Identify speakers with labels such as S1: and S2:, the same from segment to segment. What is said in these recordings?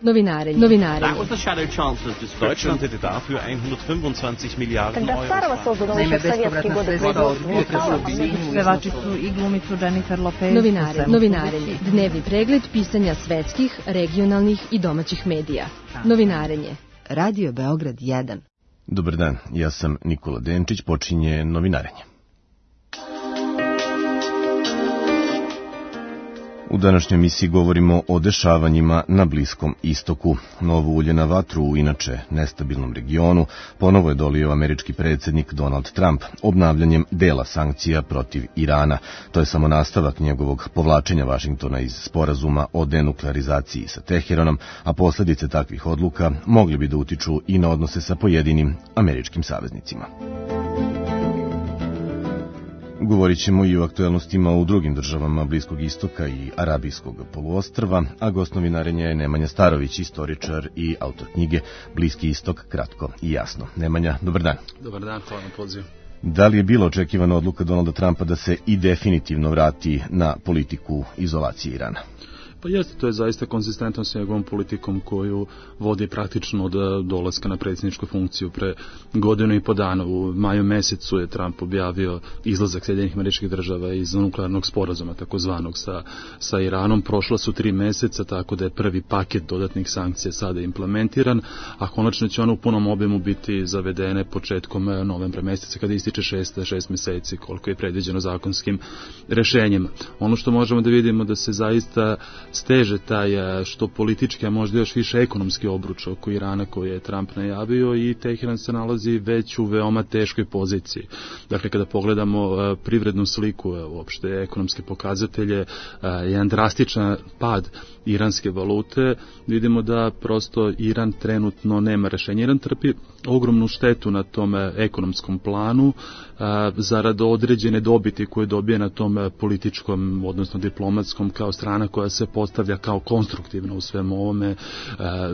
S1: Novinarenje.
S2: That was the Shadow Chancellor's description.
S3: Deutschland hätte dafür 125 Milijarden Euro.
S4: Na ime bespovratna sredstva od pevačicu i glumicu Jennifer Lopez.
S1: Novinarenje. Dnevni pregled pisanja svetskih, regionalnih i domaćih medija. Novinarenje.
S5: Radio Beograd 1.
S6: Dobar dan, ja sam Nikola Denčić, počinje Novinarenje. U današnjoj emisiji govorimo o dešavanjima na Bliskom istoku. Novo ulje na vatru u inače nestabilnom regionu ponovo je dolio američki predsjednik Donald Trump obnavljanjem dela sankcija protiv Irana. To je samo nastavak njegovog povlačenja Vašingtona iz sporazuma o denuklearizaciji sa Teheranom, a posljedice takvih odluka mogli bi da utiču i na odnose sa pojedinim američkim saveznicima. Govorit ćemo i o aktuelnostima u drugim državama Bliskog istoka i Arabijskog poluostrva, a gost Novinarenja je Nemanja Starović, istoričar i autor knjige Bliski istok, kratko i jasno. Nemanja, dobar dan.
S7: Dobar dan, hvala na pozivu.
S6: Da li je bila očekivana odluka Donalda Trumpa da se i definitivno vrati na politiku izolacije Irana?
S7: Pa jeste, to je zaista konzistentno s njegovom politikom koju vodi praktično od dolaska na predsjedničku funkciju pre godinu i po dana. U maju mesecu je Trump objavio izlazak Sjedinjenih Američkih Država iz nuklearnog sporazuma, takozvanog sa Iranom. Prošla su 3 meseca, tako da je prvi paket dodatnih sankcija sada implementiran, a konačno će one u punom obimu biti zavedene početkom novembra meseca, kada ističe 6 meseci, koliko je predviđeno zakonskim rešenjima. Ono što možemo da vidimo da se zaista steže taj što politički, a možda još više ekonomski obruč oko Irana koji je Trump najavio, i Teheran se nalazi već u veoma teškoj poziciji. Dakle, kada pogledamo privrednu sliku, uopšte ekonomske pokazatelje, jedan drastičan pad iranske valute, vidimo da prosto Iran trenutno nema rešenja. Iran trpi ogromnu štetu na tom ekonomskom planu zarad određene dobiti koje dobije na tom političkom, odnosno diplomatskom, kao strana koja se postavlja kao konstruktivna u svemu ovome.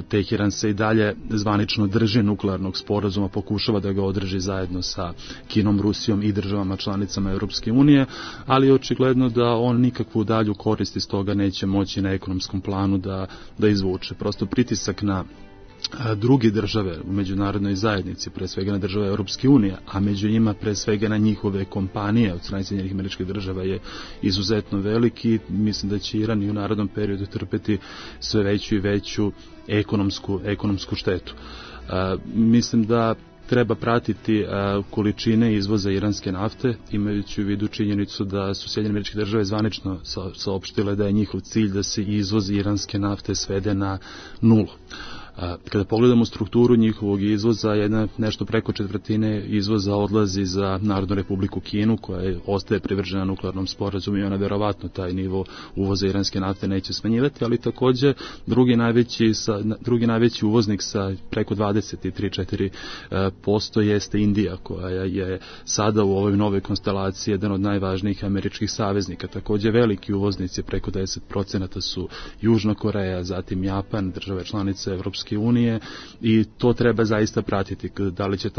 S7: Teheran se i dalje zvanično drži nuklearnog sporazuma, pokušava da ga održi zajedno sa Kinom, Rusijom i državama članicama Europske unije, ali je očigledno da on nikakvu dalju korist iz toga neće moći na ekonomskom planu da izvuče. Prosto pritisak na druge države u međunarodnoj zajednici, pre svega na države Europske unije, a među njima pre svega na njihove kompanije od strane Sjedinjenih Američkih Država, je izuzetno veliki. Mislim da će Iran i u narednom periodu trpeti sve veću i veću ekonomsku štetu. Mislim da treba pratiti količine izvoza iranske nafte, imajući u vidu činjenicu da su Sjedinjene Američke Države zvanično saopštile da je njihov cilj da se izvoz iranske nafte svede na 0. Kada pogledamo strukturu njihovog izvoza, nešto preko 1/4 izvoza odlazi za Narodnu Republiku Kinu, koja ostaje privržena nuklearnom sporazumu, i ona verovatno taj nivo uvoza iranske nafte neće smanjivati, ali takođe drugi najveći uvoznik sa preko 23-4% jeste Indija, koja je sada u ovoj novoj konstelaciji jedan od najvažnijih američkih saveznika. Takođe veliki uvoznici, preko 10%, su Južna Koreja, zatim Japan, države članice Evropske unije, i to treba zaista pratiti, da li će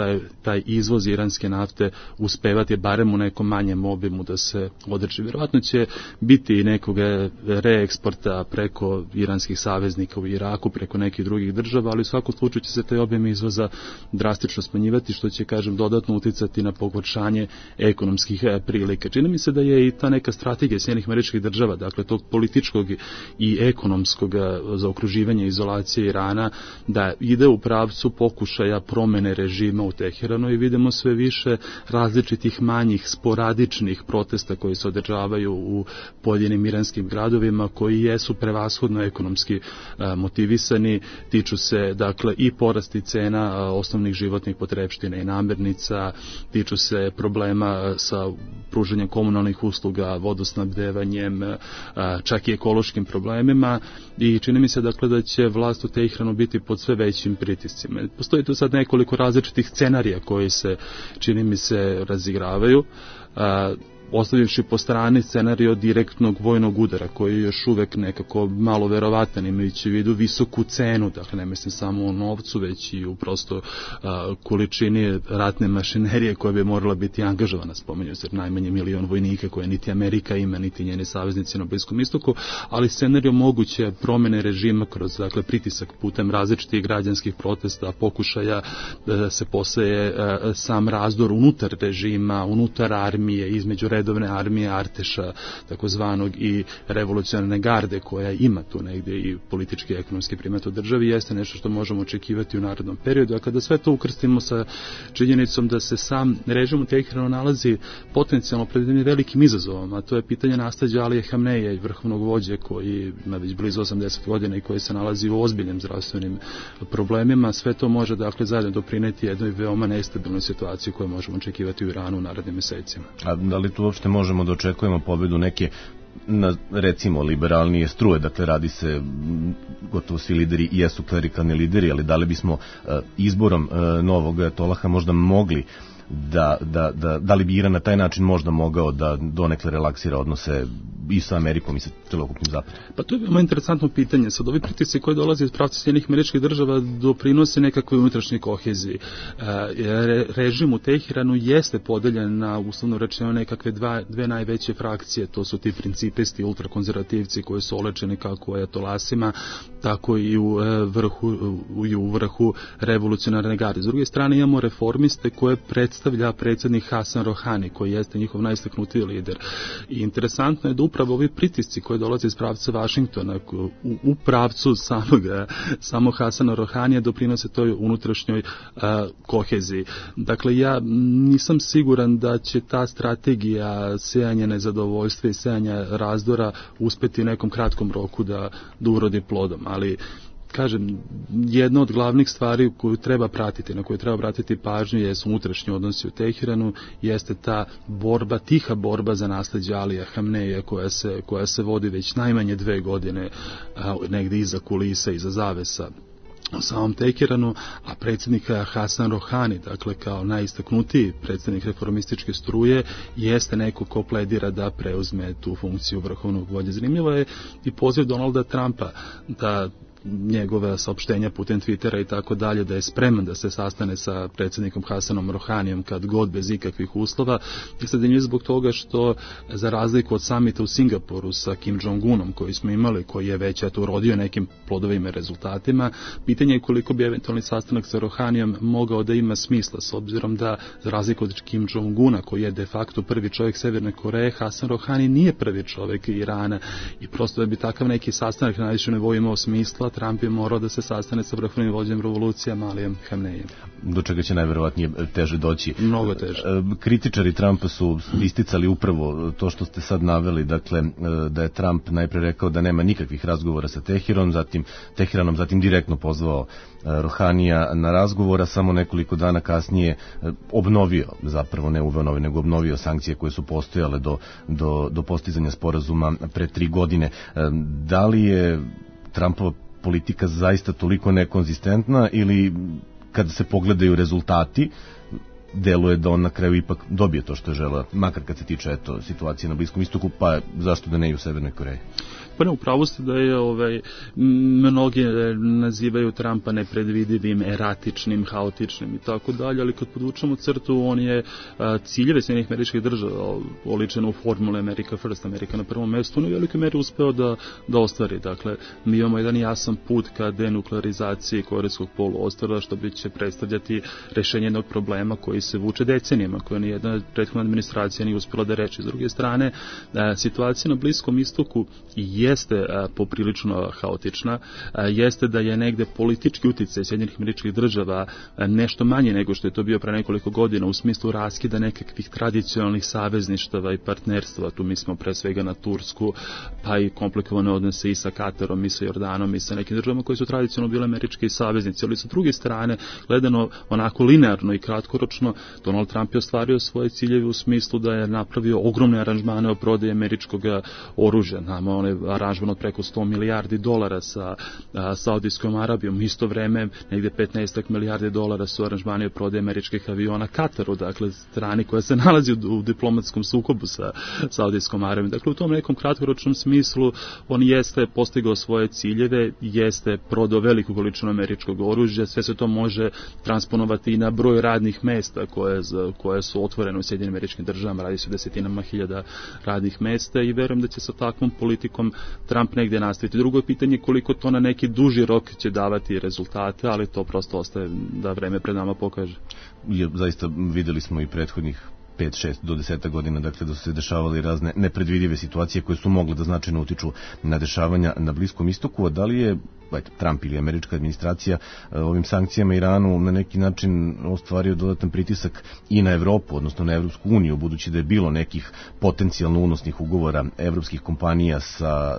S7: taj izvoz iranske nafte uspevati barem u nekom manjem obimu da se održi. Vjerovatno će biti i nekog reeksporta preko iranskih saveznika u Iraku, preko nekih drugih država, ali u svakom slučaju će se taj obim izvoza drastično smanjivati, što će, dodatno uticati na pogoršanje ekonomskih prilika. Čini mi se da je i ta neka strategija Sjedinjenih Američkih Država, dakle tog političkog i ekonomskog zaokruživanja izolacije Irana, da ide u pravcu pokušaja promene režima u Teheranu, i vidimo sve više različitih manjih sporadičnih protesta koji se održavaju u pojedinim iranskim gradovima, koji jesu prevashodno ekonomski motivisani, tiču se dakle i porasti cena osnovnih životnih potrepština i namirnica, tiču se problema sa pružanjem komunalnih usluga, vodosnabdevanjem, čak i ekološkim problemima, i čini mi se dakle da će vlast u Teheranu biti pod sve većim pritiscima. Postoji tu sad nekoliko različitih scenarija koji se, čini mi se, razigravaju. ostavivši po strani scenario direktnog vojnog udara, koji je još uvek nekako malo verovatan, imajući u vidu visoku cenu, dakle ne mislim samo u novcu, već i u prosto količini ratne mašinerije koja bi morala biti angažovana, spominju se najmanje 1 milion vojnika koje niti Amerika ima, niti njeni saveznici na Bliskom istoku, ali scenario moguće promene režima kroz pritisak putem različitih građanskih protesta, pokušaja da se poseje sam razdor unutar režima, unutar armije, između redovne armije Arteša, takozvanog, i revolucionarne garde koja ima tu negdje i politički i ekonomski primat u državi, jeste nešto što možemo očekivati u narednom periodu. A kada sve to ukrstimo sa činjenicom da se sam režim u Teheranu nalazi potencijalno pred velikim izazovom, a to je pitanje nasleđa Alije Hamneja i vrhovnog vođe koji ima već blizu 80 godina i koji se nalazi u ozbiljnim zdravstvenim problemima, sve to može zajedno doprineti jednoj veoma nestabilnoj situaciji koju možemo očekivati u Iranu u narednim mesecima.
S6: A da li tu uopšte možemo da očekujemo pobedu neke recimo liberalnije struje, dakle radi se, gotovo svi lideri jesu klerikalni lideri, ali da li bismo izborom novog ajatolaha možda mogli da li bi Iran na taj način možda mogao da donekle relaksira odnose i sa Amerikom i sa celokupnim zapadom?
S7: Pa to je veoma interesantno pitanje. Sad ovi pritisci koji dolaze iz pravca Sjedinjenih Američkih Država doprinose nekakvoj unutrašnjoj koheziji. Režim u Teheranu jeste podeljen na, uslovno rečeno, nekakve dve najveće frakcije, to su ti principisti, ultrakonzervativci koji su olečeni kako u ajatolasima, tako i u vrhu revolucionarne garde. S druge strane imamo reformiste koje predstavlja predsjednik Hasan Rohani, koji jeste njihov najistaknutiji lider. I interesantno je da upravo ovi pritisci koji dolaze iz pravca Vašingtona u pravcu samog Hasana Rohanija doprinose toj unutrašnjoj koheziji. Dakle, ja nisam siguran da će ta strategija sejanja nezadovoljstva i sejanja razdora uspeti u nekom kratkom roku da urodi plodom, ali kažem, jedna od glavnih stvari koju treba pratiti, na koju treba obratiti pažnju, jesu unutrašnji odnosi u Teheranu, jeste ta borba, tiha borba za nasleđe Alija Hamneja koja se vodi već najmanje 2 godine negdje iza kulisa, iza zavesa u samom Teheranu, a predsjednik Hasan Rohani, dakle kao najistaknutiji predsjednik reformističke struje, jeste neko ko pledira da preuzme tu funkciju vrhovnog vođe. Zanimljivo je i poziv Donalda Trumpa da njegove saopštenja putem Twittera i tako dalje, da je spreman da se sastane sa predsjednikom Hasanom Rohanijom kad god, bez ikakvih uslova. I sad je zbog toga što, za razliku od samita u Singapuru sa Kim Jong-unom koji smo imali, koji je već urodio nekim plodovima i rezultatima, pitanje je koliko bi eventualni sastanak sa Rohanijom mogao da ima smisla, s obzirom da, za razliku od Kim Jong-una, koji je de facto prvi čovjek Severne Koreje, Hasan Rohani nije prvi čovjek Irana, i prosto da bi takav neki sastanak na najvišem nivou imao smisla, Trump je morao da se sastane sa vrhovnim vođem revolucija Alijem Hamnejem.
S6: Do čega će najverovatnije teže doći?
S7: Mnogo teže.
S6: Kritičari Trumpa su isticali upravo to što ste sad naveli, dakle da je Trump najpre rekao da nema nikakvih razgovora sa Teheranom, zatim direktno pozvao Rohanija na razgovora, samo nekoliko dana kasnije obnovio, zapravo ne uveo novi, nego obnovio sankcije koje su postojale do postizanja sporazuma pre 3 godine. Da li je Trumpova politika zaista toliko nekonzistentna, ili kada se pogledaju rezultati deluje da on na kraju ipak dobije to što je želeo, makar kad se tiče situacije na Bliskom istoku, pa zašto da ne i u Severnoj Koreji?
S7: Pa ne, upravo ste da je mnogi nazivaju Trumpa nepredvidivim, eratičnim, haotičnim i tako dalje, ali kad podvučemo crtu, on je ciljeve Sjedinjenih Američkih Država oličen u formule America First, Amerika na prvom mjestu, on u velikoj meri uspeo da ostvari. Dakle, mi imamo jedan jasan put ka denuklearizaciji Korejskog poluostrva, što bi će predstavljati rešenje jednog problema koji se vuče decenijama, koje nijedna prethodna administracija nije uspjela da reči. S druge strane, situacija na Bliskom istoku jeste poprilično haotična, jeste da je negde politički uticaj Sjedinjenih Američkih Država nešto manje nego što je to bio pre nekoliko godina u smislu raskida nekakvih tradicionalnih savezništava i partnerstva. Tu mislimo pre svega na Tursku, pa i komplikovane odnose i sa Katarom, i sa Jordanom, i sa nekim državama koji su tradicionalno bile američki saveznici. Ali sa druge strane, gledano onako linearno i kratkoročno, Donald Trump je ostvario svoje ciljeve u smislu da je napravio ogromne aranžmane o prodaji američkog oružja. Nama one aranžman od preko 100 milijardi dolara sa Saudijskom Arabijom. U isto vreme negde 15 milijardi dolara su aranžmani od prodaje američkih aviona Kataru, dakle strani koja se nalazi u diplomatskom sukobu sa Saudijskom Arabijom. Dakle, u tom nekom kratkoročnom smislu on jeste postigao svoje ciljeve, jeste prodao veliku količinu američkog oružja, sve se to može transponovati i na broj radnih mesta koje su otvorene u Sjedinjenim Američkim Državama, radi se o desetinama hiljada radnih mesta i verujem da će sa takvom politikom Trump negde nastaviti. Drugo je pitanje koliko to na neki duži rok će davati rezultate, ali to prosto ostaje da vreme pred nama pokaže.
S6: Zaista videli smo i prethodnih 5, 6 do 10 godina, dakle da su se dešavale razne nepredvidive situacije koje su mogle da značajno utiču na dešavanja na Bliskom istoku, a da li je Trump ili američka administracija ovim sankcijama Iranu na neki način ostvario dodatan pritisak i na Evropu, odnosno na Evropsku uniju, budući da je bilo nekih potencijalno unosnih ugovora evropskih kompanija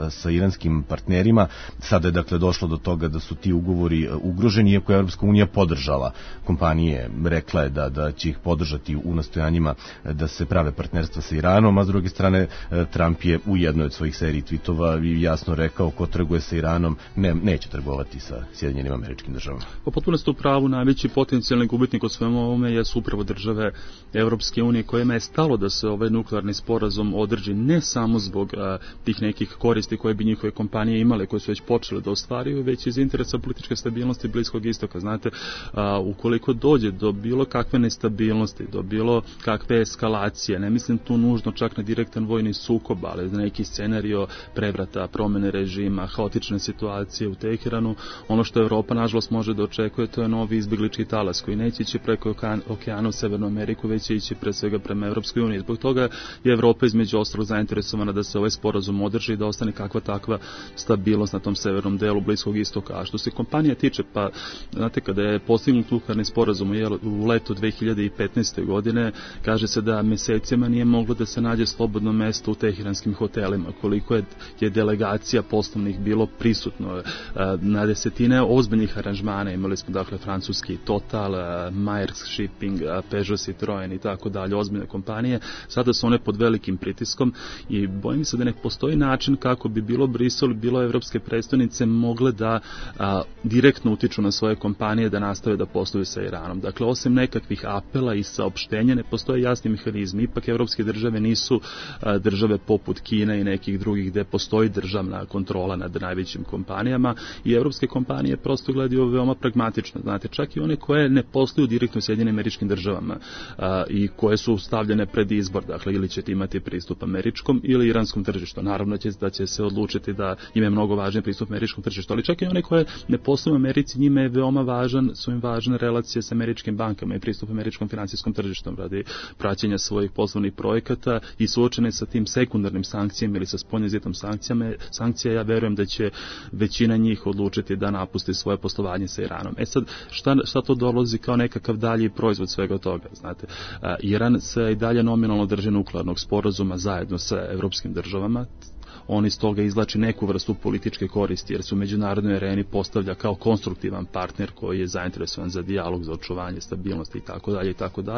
S6: sa iranskim partnerima. Sada je dakle došlo do toga da su ti ugovori ugroženi, iako je Evropska unija podržala kompanije, rekla je da će ih podržati u nastojanjima da se prave partnerstva sa Iranom, a s druge strane Trump je u jednoj od svojih seriji tweetova jasno rekao ko trguje sa Iranom neće trgovati sa Sjedinjenim Američkim Državama.
S7: Potpuno ste u pravu, najveći potencijalni gubitnik od svemu ovome jesu upravo države Evropske unije kojima je stalo da se ovaj nuklearni sporazum održi ne samo zbog tih nekih koristi koje bi njihove kompanije imale, koje su već počele da ostvaruju, već iz interesa političke stabilnosti Bliskog istoka. Znate, ukoliko dođe do bilo kakve nestabilnosti, do bilo kakve eskalacije, ne mislim tu nužno čak na direktan vojni sukob, ali na neki scenario prevrata, promene režima, haotične situacije u Teheranu, ono što Evropa nažalost može da očekuje, to je novi izbeglički talas koji neće ići preko okeana u Severnu Ameriku, već će ići pre svega prema Evropskoj uniji. Zbog toga je Evropa između ostalog zainteresovana da se ovaj sporazum održi i da ostane kakva takva stabilnost na tom severnom delu Bliskog istoka. A što se kompanija tiče, pa znate, kada je postignut nuklearni sporazum u letu 2015. godine, kaže se da mesecima nije moglo da se nađe slobodno mesto u teheranskim hotelima, koliko je delegacija poslovnih bilo prisutno. Na desetine ozbiljnih aranžmana imali smo dakle francuski Total, Maersk Shipping, Peugeot, Citroen i tako dalje, ozbiljne kompanije. Sada su one pod velikim pritiskom i bojim se da ne postoji način kako bi bilo Brisel, bilo evropske predstavnice mogle da direktno utiču na svoje kompanije da nastave da posluju sa Iranom. Dakle, osim nekakvih apela i saopštenja, ne postoje jasni mehanizmi. Ipak evropske države nisu države poput Kine i nekih drugih gde postoji državna kontrola nad najvećim kompanijama i evropske kompanije prosto gledaju veoma pragmatično. Znate, čak i one koje ne posluju direktno u Sjedinjenim Američkim Državama i koje su stavljene pred izbor, dakle ili ćete imati pristup američkom ili iranskom tržištu. Naravno da će se odlučiti da im je mnogo važniji pristup američkom tržištu, ali čak i one koje ne posluju u Americi, njima je veoma su im važne relacije sa američkim bankama i pristup američkom finansijskom tržištom radi praćenja svojih poslovnih projekata i suočene sa tim sekundarnim sankcijama ili sa spoljnozitom sankcija, ja verujem da će većina njih odlučiti da napusti svoje poslovanje sa Iranom. Sad, šta to dolazi kao nekakav dalji proizvod svega toga? Znate, Iran se i dalje nominalno drži nuklearnog sporazuma zajedno sa evropskim državama. On iz toga izvlači neku vrstu političke koristi, jer se u međunarodnoj areni postavlja kao konstruktivan partner koji je zainteresovan za dijalog, za očuvanje stabilnosti itd.,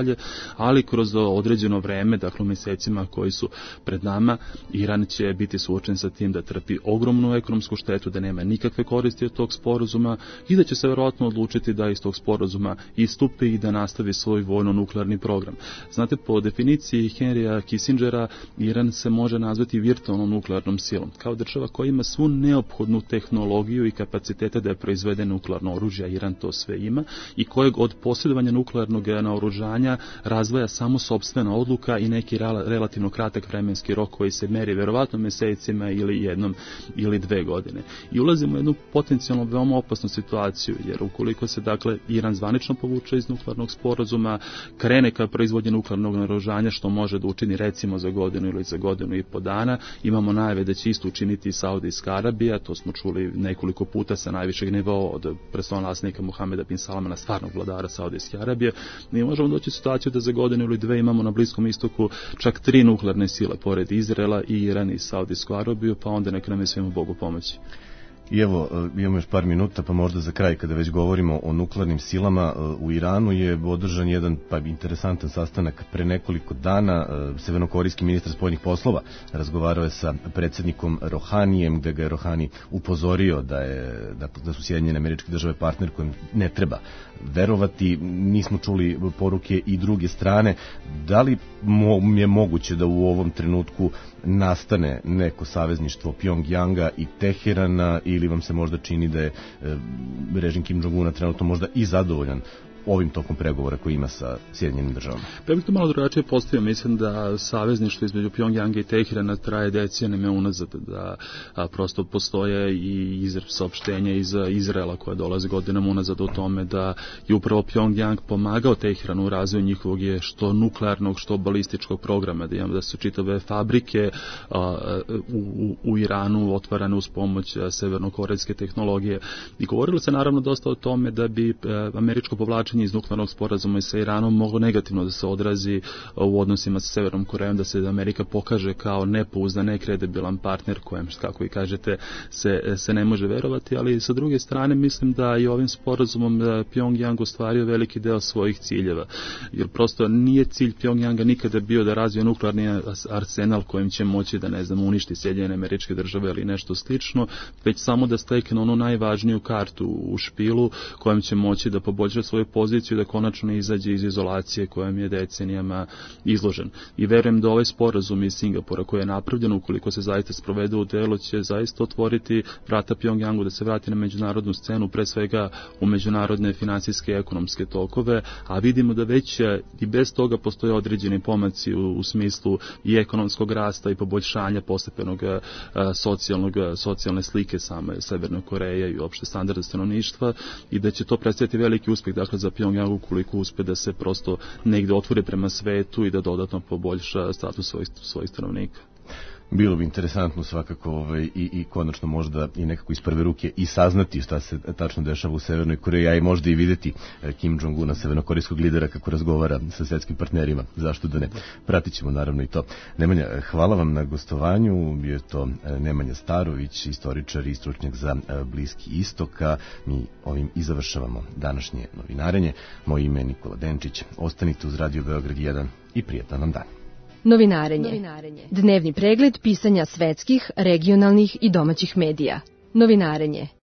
S7: ali kroz određeno vreme, dakle u mesecima koji su pred nama, Iran će biti suočen sa tim da trpi ogromnu ekonomsku štetu, da nema nikakve koristi od tog sporazuma i da će se verovatno odlučiti da iz tog sporazuma istupi i da nastavi svoj vojno-nuklearni program. Znate, po definiciji Henrya Kissingera, Iran se može nazvati virtualnom nuklearnom silom, kao država koja ima svu neophodnu tehnologiju i kapacitete da je proizvede nuklearno oružje, a Iran to sve ima, i kojeg od posjedovanja nuklearnog naoružanja razvaja samo sopstvena odluka i neki relativno kratak vremenski rok koji se meri verovatno mesecima ili 1 ili 2 godine. I ulazimo u jednu potencijalno veoma opasnu situaciju, jer ukoliko se dakle Iran zvanično povuče iz nuklearnog sporazuma, krene ka proizvodnje nuklearnog naoružanja, što može da učini recimo za godinu ili za godinu i po dana, imamo najave da će isto učiniti i Saudijska Arabija, to smo čuli nekoliko puta sa najvišeg nivoa od prestolonaslednika Muhameda bin Salmana, stvarnog vladara Saudijske Arabije. Mi možemo doći u situaciju da za godinu ili 2 imamo na Bliskom istoku čak 3 nuklearne sile, pored Izraela i Iran i Saudijsku Arabiju, pa onda neka nam je svima Bogu pomoći.
S6: I evo, imamo još par minuta, pa možda za kraj, kada već govorimo o nuklearnim silama, u Iranu je održan jedan interesantan sastanak pre nekoliko dana. Severnokorejski ministar spoljnih poslova razgovarao je sa predsjednikom Rohanijem, gde ga je Rohani upozorio da su Sjedinjene Američke Države partner kojem ne treba verovati. Nismo čuli poruke i druge strane. Da li je moguće da u ovom trenutku nastane neko savezništvo Pjongjanga i Teherana, ili vam se možda čini da je režim Kim Jong-una trenutno možda i zadovoljan ovim tokom pregovora koji ima sa Sjedinjenim državama?
S7: Ja bih to malo drugačije postavio. Mislim da savezništvo između Pjongjanga i Teherana traje decenijama unazad, da prosto postoje i saopštenja iz Izraela koja dolaze godinama unazad o tome da je upravo Pjongjang pomagao Teheranu u razvoju njihovog je što nuklearnog, što balističkog programa, da su čitave fabrike u Iranu otvarane uz pomoć severnokorejske tehnologije. I govorilo se naravno dosta o tome da bi američko povlačenje iz nuklearnog sporazuma i sa Iranom moglo negativno da se odrazi u odnosima sa Severnom Korejom, da se Amerika pokaže kao nepouzdan, nekredibilan partner kojem, kako i kažete, se ne može verovati, ali sa druge strane mislim da i ovim sporazumom Pjongjang ostvario veliki deo svojih ciljeva, jer prosto nije cilj Pjongjanga nikada bio da razvije nuklearni arsenal kojim će moći da, uništi Sjedinjene Američke Države ili nešto slično, već samo da stekne onu najvažniju kartu u špilu kojom će moći da poboljša svoju poziciju, da konačno izađe iz izolacije kojom je decenijama izložen. I verujem da ovaj sporazum iz Singapura koji je napravljen, ukoliko se zaista sprovede u delo, će zaista otvoriti vrata Pjongjangu da se vrati na međunarodnu scenu, pre svega u međunarodne finansijske i ekonomske tokove, a vidimo da već i bez toga postoje određeni pomaci u smislu i ekonomskog rasta i poboljšanja postepenog socijalne slike same Severne Koreje i uopšte standarda stanovništva, i da će to predstaviti veliki uspeh za Pjongjang ukoliko uspe da se prosto negde otvori prema svetu i da dodatno poboljša status svojih stanovnika.
S6: Bilo bi interesantno svakako i konačno možda i nekako iz prve ruke i saznati šta se tačno dešava u Severnoj Koreji, a i možda i videti Kim Jong-una, severnokorejskog lidera, kako razgovara sa svetskim partnerima. Zašto da ne? Pratit ćemo naravno i to. Nemanja, hvala vam na gostovanju. Bio je to Nemanja Starović, istoričar i stručnjak za Bliski istok. Mi ovim i završavamo današnje novinarenje. Moje ime je Nikola Denčić. Ostanite uz Radio Beograd 1 i prijetan vam dan.
S1: Novinarenje. Dnevni pregled pisanja svetskih, regionalnih i domaćih medija. Novinarenje.